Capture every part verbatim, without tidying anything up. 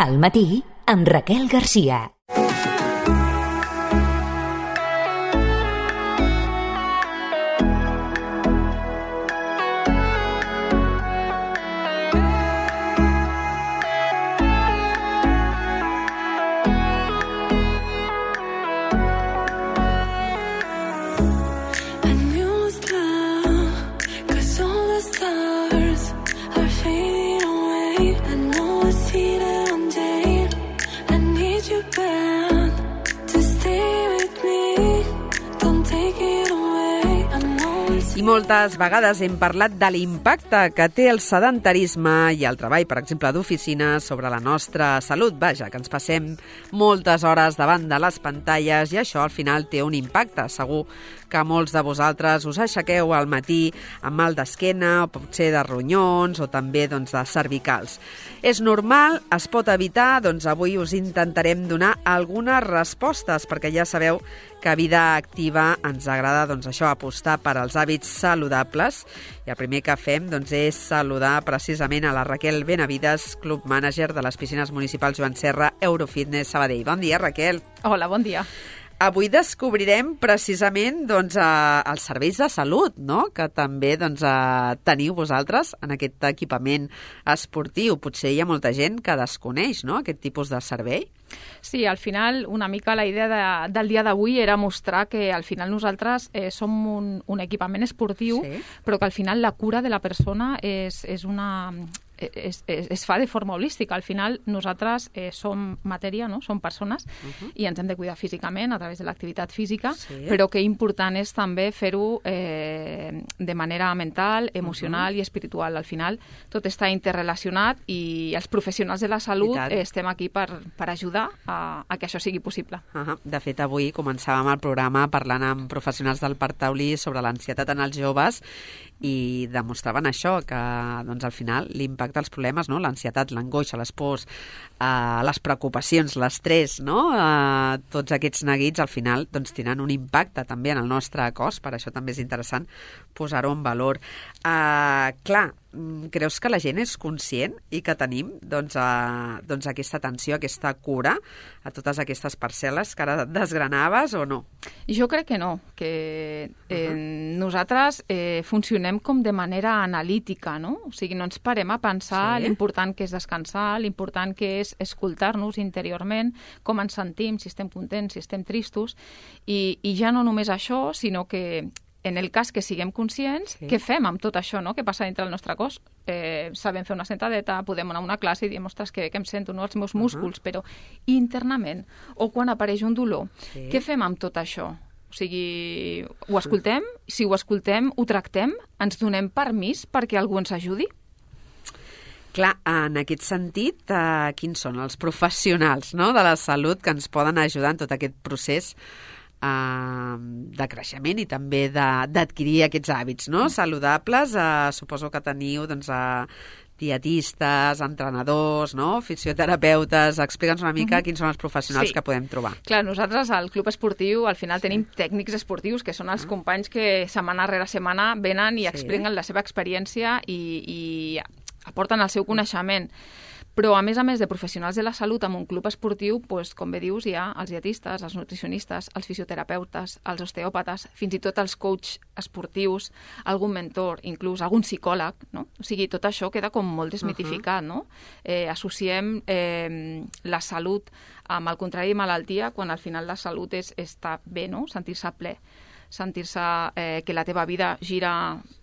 Al matí, amb Raquel Garcia. I moltes vegades hem parlat de l'impacte que té el sedentarisme i el treball, per exemple, d'oficina sobre la nostra salut. Vaja, que ens passem moltes hores davant de les pantalles i això al final té un impacte. Segur que molts de vosaltres us aixequeu al matí amb mal d'esquena, o potser de ronyons, o també doncs, de cervicals. És normal, es pot evitar, doncs avui us intentarem donar algunes respostes, perquè ja sabeu que a Vida Activa ens agrada doncs, això, apostar per als hàbits saludables. I el primer que fem doncs, és saludar precisament a la Raquel Benavides, Club Manager de les piscines municipals Joan Serra Eurofitness Sabadell. Bon dia, Raquel. Hola, bon dia. Avui descobrirem precisament doncs, eh, els serveis de salut, no? Que també doncs, eh, teniu vosaltres en aquest equipament esportiu. Potser hi ha molta gent que desconeix, no?, aquest tipus de servei. Sí, al final una mica la idea de, del dia d'avui era mostrar que al final nosaltres eh, som un, un equipament esportiu, sí, però que al final la cura de la persona és, és una... Es, es, es fa de forma holística. Al final nosaltres eh, som matèria, no? Som persones, uh-huh, i ens hem de cuidar físicament a través de l'activitat física, sí, però que important és també fer-ho eh, de manera mental, emocional, uh-huh, i espiritual. Al final tot està interrelacionat i els professionals de la salut eh, estem aquí per, per ajudar a, a que això sigui possible. Uh-huh. De fet, avui començàvem el programa parlant amb professionals del Parc Taulí sobre l'ansietat en els joves i demostraven això, que doncs, al final l'impacte dels problemes, no? L'ansietat, l'angoixa, les pors, eh, les preocupacions, l'estrès, no? Eh, tots aquests neguits al final doncs, tenen un impacte també en el nostre cos, per això també és interessant posar-ho en valor. Eh, clar, creus que la gent és conscient i que tenim doncs, eh, doncs aquesta atenció, aquesta cura a totes aquestes parcel·les que ara desgranaves o no? Jo crec que no, que eh, uh-huh, nosaltres eh, funcionem com de manera analítica, no? O sigui, no ens parem a pensar, sí, l'important que és descansar, l'important que és escoltar-nos interiorment, com ens sentim, si estem contents, si estem tristos, i, i ja no només això, sinó que en el cas que siguem conscients, sí, què fem amb tot això, no?, que passa dintre del nostre cos? Eh, sabem fer una sentadeta, podem anar a una classe i dir, ostres, que bé que em sento, no?, els meus músculs, uh-huh, però internament, o quan apareix un dolor, sí, què fem amb tot això? O sigui, ho escoltem? Si ho escoltem, ho tractem? Ens donem permís perquè algú ens ajudi? Clar, en aquest sentit, eh, quins són els professionals, no?, de la salut que ens poden ajudar en tot aquest procés de creixement i també d'adquirir aquests hàbits, no?, saludables? Eh, suposo que teniu doncs, eh, dietistes, entrenadors, no?, fisioterapeutes. Explica'ns una mica, uh-huh, quins són els professionals, sí, que podem trobar. Clar, nosaltres al club esportiu al final tenim, sí, tècnics esportius, que són els uh-huh, companys que setmana rere setmana venen i, sí, expliquen la seva experiència i, i aporten el seu coneixement. Però, a més a més de professionals de la salut en un club esportiu, doncs, com bé dius, hi ha els dietistes, els nutricionistes, els fisioterapeutes, els osteòpates, fins i tot els coach esportius, algun mentor, inclús algun psicòleg, no? O sigui, tot això queda com molt desmitificat, no? Eh, associem eh, la salut amb el contrari de malaltia, quan al final la salut és estar bé, no?, sentir-se ple, sentir-se eh, que la teva vida gira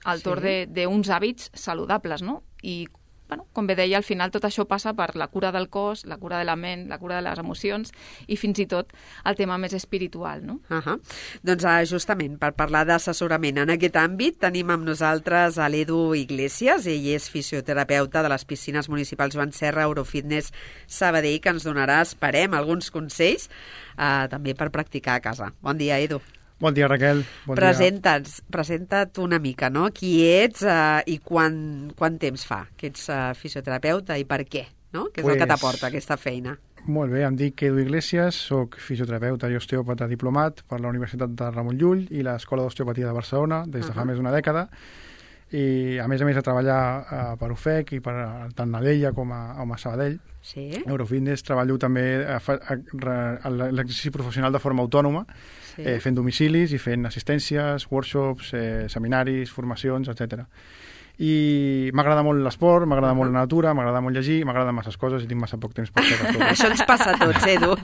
al torn, sí, d'uns hàbits saludables, no? I bueno, com bé deia, al final tot això passa per la cura del cos, la cura de la ment, la cura de les emocions i fins i tot el tema més espiritual, no? Uh-huh. Doncs uh, justament per parlar d'assessorament en aquest àmbit tenim amb nosaltres a l'Edu Iglesias. Ell és fisioterapeuta de les piscines municipals Joan Serra Eurofitness Sabadell, que ens donarà, esperem, alguns consells uh, també per practicar a casa. Bon dia, Edu. Bon dia, Raquel. Bon Presenta't, presenta't una mica, no? Qui ets uh, i quan, quant temps fa que ets uh, fisioterapeuta i per què, no? Què és pues, el que t'aporta aquesta feina? Molt bé, em dic Edu Iglesias, soc fisioterapeuta i osteòpata diplomat per la Universitat de Ramon Llull i l'Escola d'Osteopatia de Barcelona des de uh-huh, fa més d'una dècada. i a més a més de treballar uh, per U F E C i per tant a Alella com a, com a Sabadell. Sí. Eurofitness treballo també a, a, a, a l'exercici professional de forma autònoma, sí. eh, fent domicilis i fent assistències, workshops, eh, seminaris, formacions, etcètera. I m'agrada molt l'esport, m'agrada molt la natura, m'agrada molt llegir, m'agraden masses coses i tinc massa poc temps per fer tot. Això ens passa a tots, Edu.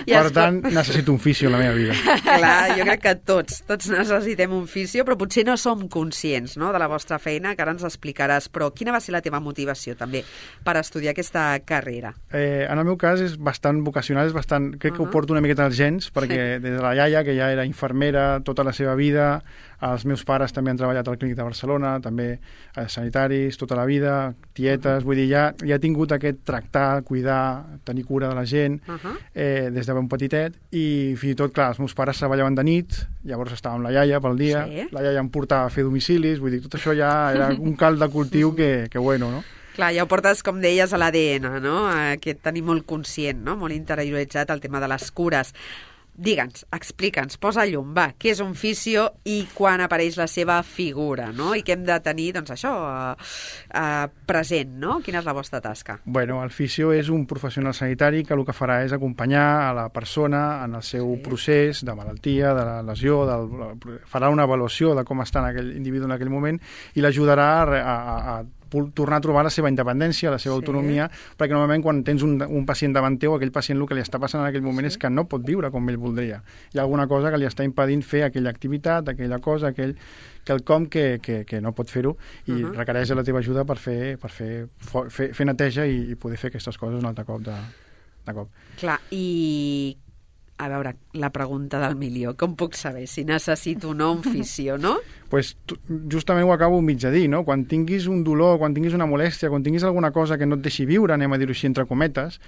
Ja per tant, pot... necessito un fisio en la meva vida. Clar, jo crec que tots, tots necessitem un fisio, però potser no som conscients, no?, de la vostra feina, que ara ens explicaràs. Però quina va ser la teva motivació, també, per estudiar aquesta carrera? Eh, en el meu cas és bastant vocacional, és bastant, crec que uh -huh. ho porto una miqueta als gens, perquè sí. des de la iaia, que ja era infermera tota la seva vida, els meus pares també han treballat al Clínic de Barcelona, també eh, sanitaris, tota la vida, tietes, vull dir, ja, ja he tingut aquest tractar, cuidar, tenir cura de la gent, uh -huh. eh, des de ben petitet, i fins i tot, clar, els meus pares treballaven de nit, llavors estava amb la iaia pel dia, sí. la iaia em portava a fer domicilis, vull dir, tot això ja era un cald de cultiu que, que bueno, no? Clar, ja ho portes, com deies, a l'A D N, no?, aquest tenir molt conscient, no?, molt interioritzat el tema de les cures. Digue'ns, explica'ns, posa llum, va, què és un fisio i quan apareix la seva figura, no? I què hem de tenir, doncs això, eh, eh, present, no? Quina és la vostra tasca? Bueno, el fisio és un professional sanitari que el que farà és acompanyar a la persona en el seu sí. procés de malaltia, de la lesió, del, farà una avaluació de com està en aquell individu en aquell moment i l'ajudarà a, a, a tornar a trobar la seva independència, la seva sí. autonomia, perquè normalment quan tens un, un pacient davant teu, aquell pacient el que li està passant en aquell moment sí. és que no pot viure com ell voldria. Hi ha alguna cosa que li està impedint fer aquella activitat, aquella cosa, aquell quelcom que, que, que no pot fer-ho i uh -huh. requereix la teva ajuda per fer, per fer, fer, fer neteja i, i poder fer aquestes coses un altre cop de, de cop. Clar, i a veure, la pregunta del milió, com puc saber si necessito o no un fisio, no? Pues, justament ho acabo mig de dir, no? Quan tinguis un dolor, quan tinguis una molèstia, quan tinguis alguna cosa que no et deixi viure, anem a dir-ho així entre cometes,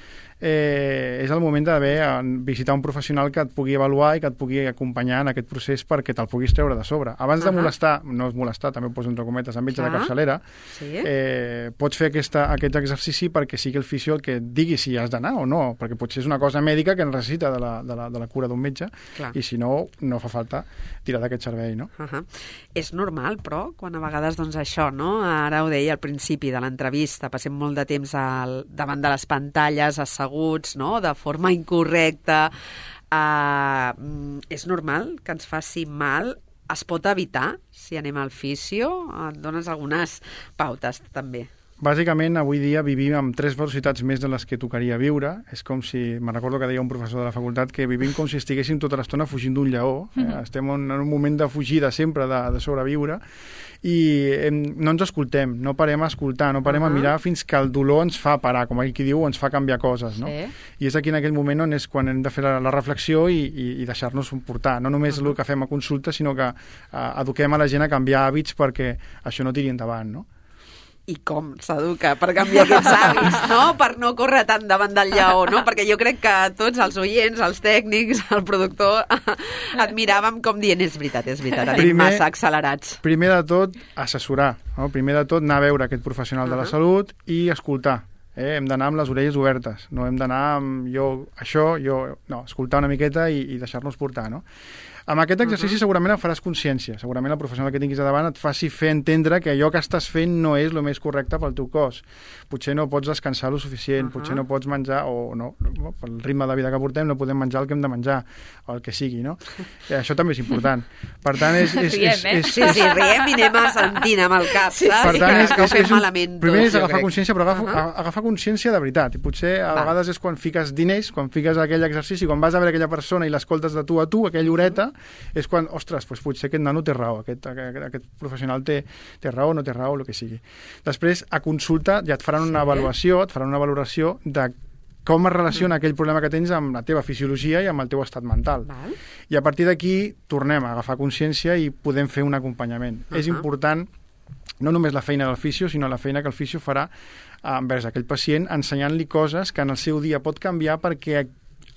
eh, és el moment d'haver visitar un professional que et pugui avaluar i que et pugui acompanyar en aquest procés perquè te'l puguis treure de sobre. Abans uh -huh. de molestar, no és molestar, també ho poso entre cometes, amb metge uh -huh. de capçalera, sí. eh, pots fer aquesta, aquest exercici perquè sigui el fisio el que et digui si has d'anar o no, perquè potser és una cosa mèdica que necessita de la, de la, de la cura d'un metge, clar. I si no, no fa falta tirar d'aquest servei, no? Uh -huh. És normal, però, quan a vegades, doncs això, no? Ara ho deia al principi de l'entrevista, passem molt de temps al, davant de les pantalles, asseguts, no?, de forma incorrecta. Uh, és normal que ens faci mal? Es pot evitar si anem al fisio? Et dones algunes pautes, també. Bàsicament, avui dia vivim amb tres velocitats més de les que tocaria viure. És com si, me'n recordo que deia un professor de la facultat, que vivim com si estiguéssim tota l'estona fugint d'un lleó. Eh? Mm-hmm. Estem en un moment de fugida sempre, de, de sobreviure, i hem, no ens escoltem, no parem a escoltar, no parem uh -huh. a mirar fins que el dolor ens fa parar, com ell qui diu, ens fa canviar coses, no? Sí. I és aquí en aquell moment on és quan hem de fer la, la reflexió i, i, i deixar-nos portar. No només uh -huh. el que fem a consulta, sinó que uh, eduquem a la gent a canviar hàbits perquè això no tiri endavant, no? I com s'educa per canviar aquests hàbits, no? Per no córrer tant davant del lleó, no? Perquè jo crec que tots els oients, els tècnics, el productor, et miràvem com dient, és veritat, és veritat, anem primer, massa accelerats. Primer de tot, assessorar, no? Primer de tot, anar a veure aquest professional uh -huh. de la salut i escoltar. Eh? Hem d'anar amb les orelles obertes, no hem d'anar amb jo, això, jo... No, escoltar una miqueta i, i deixar-nos portar, no? Amb aquest exercici uh -huh. segurament faràs consciència, segurament el professional que tinguis a davant et faci fer entendre que allò que estàs fent no és el més correcte pel teu cos. Potser no pots descansar lo suficient, uh -huh. potser no pots menjar, o no, pel ritme de vida que portem no podem menjar el que hem de menjar, o el que sigui, no? I això també és important. Per tant, és... és, riem, és, eh? és, sí, sí, riem i anem assentint amb el cap, sí, saps? Per tant, és, que, és, que és un, malament primer tots, és agafar crec. consciència, però agafa, uh -huh. agafar consciència de veritat. I potser a Va. vegades és quan fiques diners, quan fiques aquell exercici, quan vas a veure aquella persona i l'escoltes de tu a tu, aquella horeta, uh -huh. és quan, ostres, doncs potser aquest nano té raó, aquest, aquest, aquest professional té, té raó, no té raó, el que sigui. Després, a consulta, ja et faran una sí. avaluació, et faran una valoració de com es relaciona mm. aquell problema que tens amb la teva fisiologia i amb el teu estat mental. Val. I a partir d'aquí tornem a agafar consciència i podem fer un acompanyament. Uh -huh. És important no només la feina del fisio, sinó la feina que el fisio farà envers aquell pacient, ensenyant-li coses que en el seu dia pot canviar perquè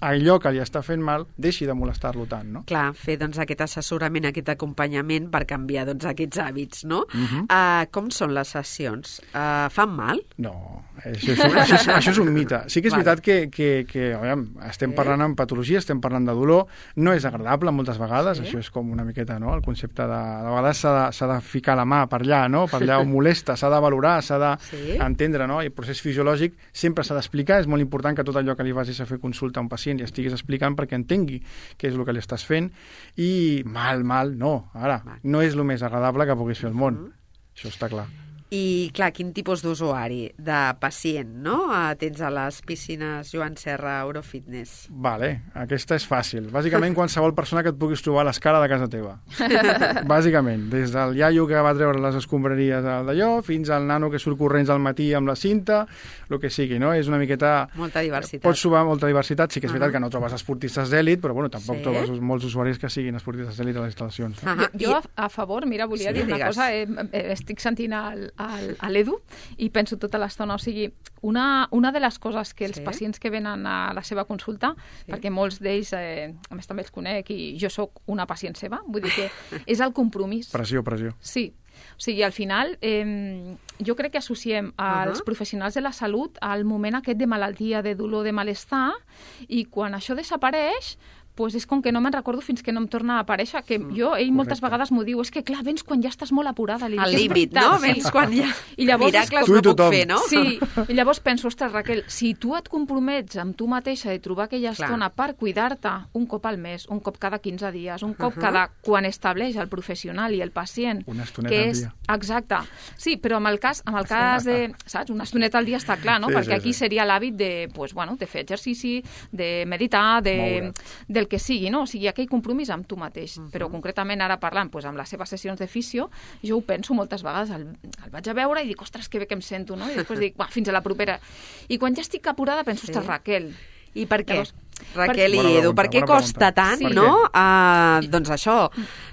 allò que li està fent mal deixi de molestar-lo tant, no? Clar, fer doncs, aquest assessorament, aquest acompanyament per canviar doncs, aquests hàbits, no? Uh-huh. Uh, com són les sessions? Uh, fan mal? No, això és, això és, això és un mite. Sí que és vale. veritat que, que, que aviam, estem sí. parlant en patologia, estem parlant de dolor, no és agradable moltes vegades, sí. això és com una miqueta, no?, el concepte de... De vegades s'ha de, s'ha de ficar la mà per allà, no?, per allà on molesta, s'ha de valorar, s'ha d'entendre, sí. no?, i el procés fisiològic sempre s'ha d'explicar, és molt important que tot allò que li vagis a fer consulta a un pacient i estiguis explicant perquè entengui què és el que li estàs fent, i mal, mal, no, ara, no és el més agradable que puguis fer al món, mm. això està clar. I, clar, quin tipus d'usuari, de pacient, no? Tens a les piscines Joan Serra Eurofitness. Vale, aquesta és fàcil. Bàsicament, qualsevol persona que et puguis trobar a l'escala de casa teva. Bàsicament, des del iaio que va treure les escombraries d'allò fins al nano que surt corrents al matí amb la cinta, el que sigui, no? És una miqueta... Molta diversitat. Pots trobar molta diversitat, sí que és uh-huh. veritat que no trobes esportistes d'èlit, però bueno, tampoc sí. trobes molts usuaris que siguin esportistes d'èlit a les instal·lacions. No? Uh-huh. Jo, a, a favor, mira, volia sí, dir una digues. cosa, eh, eh, estic sentint el a l'Edu i penso tota l'estona, o sigui, una, una de les coses que els sí. pacients que venen a la seva consulta, sí. perquè molts d'ells, eh, a més també els conec i jo sóc una pacient seva, vull dir que és el compromís. Pressió, pressió. Sí, o sigui, al final eh, jo crec que associem als uh-huh. professionals de la salut al moment aquest de malaltia, de dolor, de malestar, i quan això desapareix, pues és com que no me'n recordo fins que no em torna a aparèixer, que jo, ell Correcte. moltes vegades m'ho diu, és que clar, vens quan ja estàs molt apurada. Al límit, no? Vens quan ja... I llavors, miracles no puc fer, no? Sí, i llavors penso, ostres, Raquel, si tu et compromets amb tu mateixa de trobar aquella clar. estona per cuidar-te un cop al mes, un cop cada quinze dies, un cop uh-huh. cada... quan estableix el professional i el pacient, una estoneta que és... al dia. Exacte. Sí, però en el cas, en el cas de... Saps? Una estoneta al dia està clar, no? Sí, Perquè sí, aquí sí. seria l'hàbit de, pues, bueno, de fer exercici, de meditar, de, del que sigui, no? O sigui, aquell compromís amb tu mateix. Uh-huh. Però concretament ara parlant doncs, amb les seves sessions de fisio, jo ho penso moltes vegades, el, el vaig a veure i dic, ostres, que bé que em sento, no? I després dic, va, fins a la propera. I quan ja estic apurada penso, ostres, sí. Raquel. I per què? Llavors, Raquel i Edu, per què costa tant, sí. no? Uh, doncs això,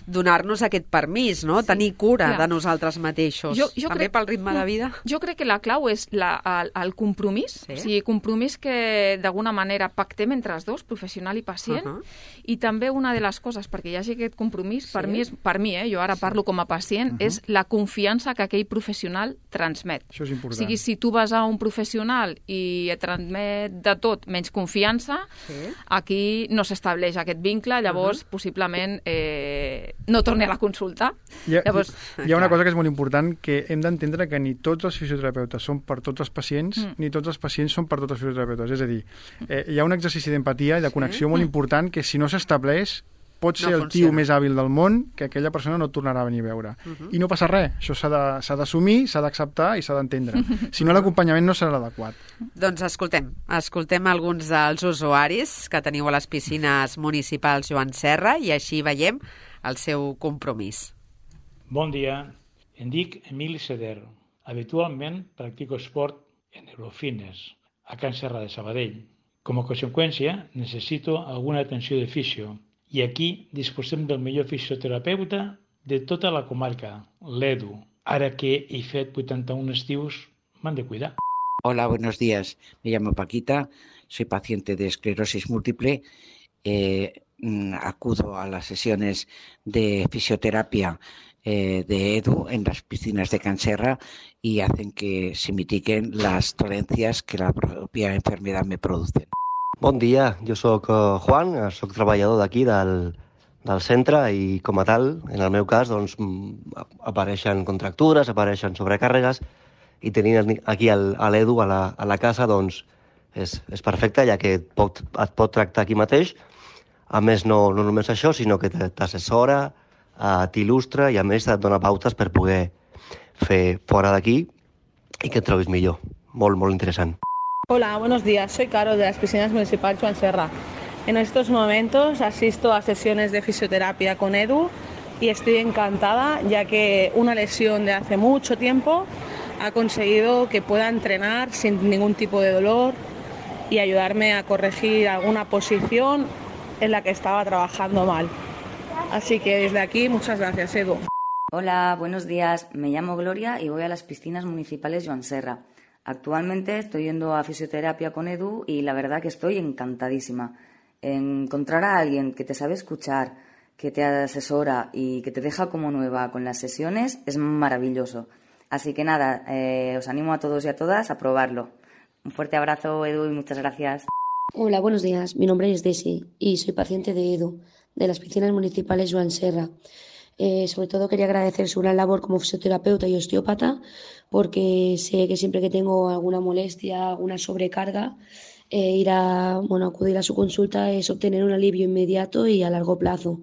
donar-nos aquest permís, no? Sí. Tenir cura Clar. de nosaltres mateixos. Jo, jo També crec... pel ritme de vida. Jo crec que la clau és la, el, el compromís, sí. o sigui, compromís que d'alguna manera pactem entre els dos, professional i pacient, uh -huh. i també una de les coses, perquè hi hagi aquest compromís, sí. per, mi és, per mi, eh, jo ara parlo sí. com a pacient, uh -huh. és la confiança que aquell professional transmet. Això és important. O sigui, si tu vas a un professional i et transmet de tot menys confiança, sí. aquí no s'estableix aquest vincle, llavors uh -huh. possiblement eh, no torni a la consulta. Hi ha, llavors, hi ha una cosa que és molt important, que hem d'entendre que ni tots els fisioterapeutes són per tots els pacients, mm. ni tots els pacients són per tots els fisioterapeutes. És a dir, eh, hi ha un exercici d'empatia i de connexió sí. molt important que si no s'estableix pot ser no el tio més hàbil del món que aquella persona no et tornarà a venir a veure. Uh -huh. I no passa res. Això s'ha d'assumir, s'ha d'acceptar i s'ha d'entendre. Si no, l'acompanyament no serà l'adequat. Doncs escoltem, escoltem alguns dels usuaris que teniu a les piscines municipals Joan Serra i així veiem el seu compromís. Bon dia, em dic Emili Seder. Habitualment practico esport en Eurofitness, a Can Serra de Sabadell. Com a conseqüència, necessito alguna atenció de fisio. I aquí disposem del millor fisioterapeuta de tota la comarca, l'Edu. Ara que he fet vuitanta-un estius, m'han de cuidar. Hola, buenos días. Me llamo Paquita, soy paciente de esclerosis múltiple. Eh, acudo a las sesiones de fisioterapia eh, de Edu en las piscinas de Can Serra y hacen que se mitiguen las dolencias que la propia enfermedad me produce. Bon dia, jo sóc Juan, sóc treballador d'aquí del, del centre i com a tal, en el meu cas, doncs, apareixen contractures, apareixen sobrecàrregues i tenint aquí l'Edu a, la, a la casa doncs, és, és perfecte, ja que et pot, et pot tractar aquí mateix. A més, no, no només això, sinó que t'assessora, t'il·lustra i a més et dona pautes per poder fer fora d'aquí i que et trobis millor. Molt, molt interessant. Hola, buenos días. Soy Caro de las piscinas municipales Joan Serra. En estos momentos asisto a sesiones de fisioterapia con Edu y estoy encantada ya que una lesión de hace mucho tiempo ha conseguido que pueda entrenar sin ningún tipo de dolor y ayudarme a corregir alguna posición en la que estaba trabajando mal. Así que desde aquí, muchas gracias, Edu. Hola, buenos días. Me llamo Gloria y voy a las piscinas municipales Joan Serra. Actualmente estoy yendo a fisioterapia con Edu y la verdad que estoy encantadísima. encontrar a alguien que te sabe escuchar, que te asesora y que te deja como nueva con las sesiones es maravilloso. Así que nada, eh, os animo a todos y a todas a probarlo. Un fuerte abrazo, Edu, y muchas gracias. Hola, buenos días. Mi nombre es Desi y soy paciente de Edu, de las piscinas municipales Joan Serra. Eh, sobre todo quería agradecer su gran labor como fisioterapeuta y osteópata, porque sé que siempre que tengo alguna molestia, alguna sobrecarga, eh, ir a, bueno, acudir a su consulta es obtener un alivio inmediato y a largo plazo.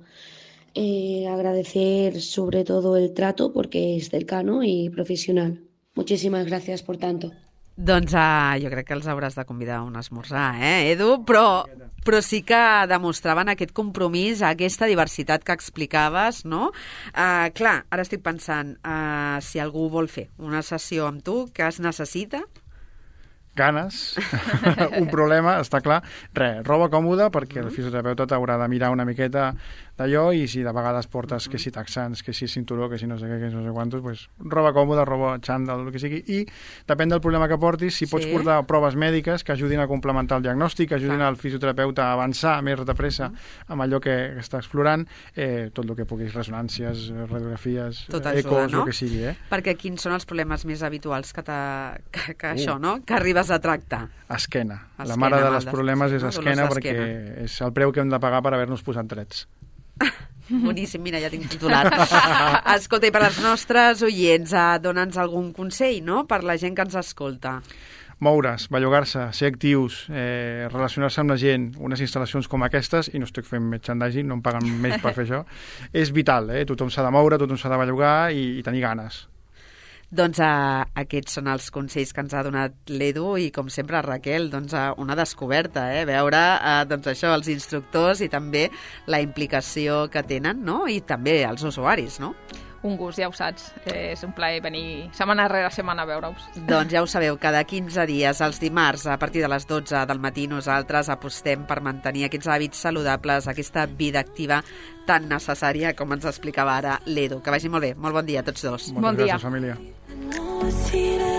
Eh, agradecer sobre todo el trato porque es cercano y profesional. Muchísimas gracias por tanto. Doncs uh, jo crec que els hauràs de convidar a un esmorzar, eh, Edu? Però, però sí que demostraven aquest compromís, aquesta diversitat que explicaves, no? Uh, clar, ara estic pensant, uh, si algú vol fer una sessió amb tu, què es necessita? Ganes, un problema, està clar. Res, roba còmoda, perquè el fisioterapeuta t'haurà de mirar una miqueta d'allò, i si de vegades portes que si taxans, que si cinturó, que si no sé què, que si no sé quantos, pues, roba còmoda, roba xandall, el que sigui, i depèn del problema que portis, si pots sí. portar proves mèdiques que ajudin a complementar el diagnòstic, que ajudin al fisioterapeuta a avançar més de pressa amb allò que, que està explorant, eh, tot el que puguis, ressonàncies, radiografies, tot ajuda, ecos, no? El que sigui. Eh? Perquè quins són els problemes més habituals que, que, que uh. això, no? Que arribes a tractar? Esquena. esquena. La mare dels problemes és esquena, perquè és el preu que hem de pagar per haver-nos posat drets. Boníssim, mira, ja tinc titulat. Escolta, i per als nostres oients, eh, dona'ns algun consell, no?, per la gent que ens escolta. Moure's, bellugar-se, ser actius, eh, relacionar-se amb la gent, unes instal·lacions com aquestes, i no estic fent merchandising, no em paguen més per fer això, és vital, eh? Tothom s'ha de moure, tothom s'ha de bellugar i, i tenir ganes. Doncs uh, aquests són els consells que ens ha donat l'Edu i, com sempre, Raquel, doncs, uh, una descoberta, eh? Veure uh, doncs això, els instructors i també la implicació que tenen, no? I també els usuaris, no? Un gust, ja ho saps. És un plaer venir setmana rere setmana a veure-us. Doncs ja ho sabeu, cada quinze dies, els dimarts, a partir de les dotze del matí, nosaltres apostem per mantenir aquests hàbits saludables, aquesta vida activa tan necessària com ens explicava ara l'Edu. Que vagi molt bé. Molt bon dia a tots dos. Moltes bon gràcies, dia. família.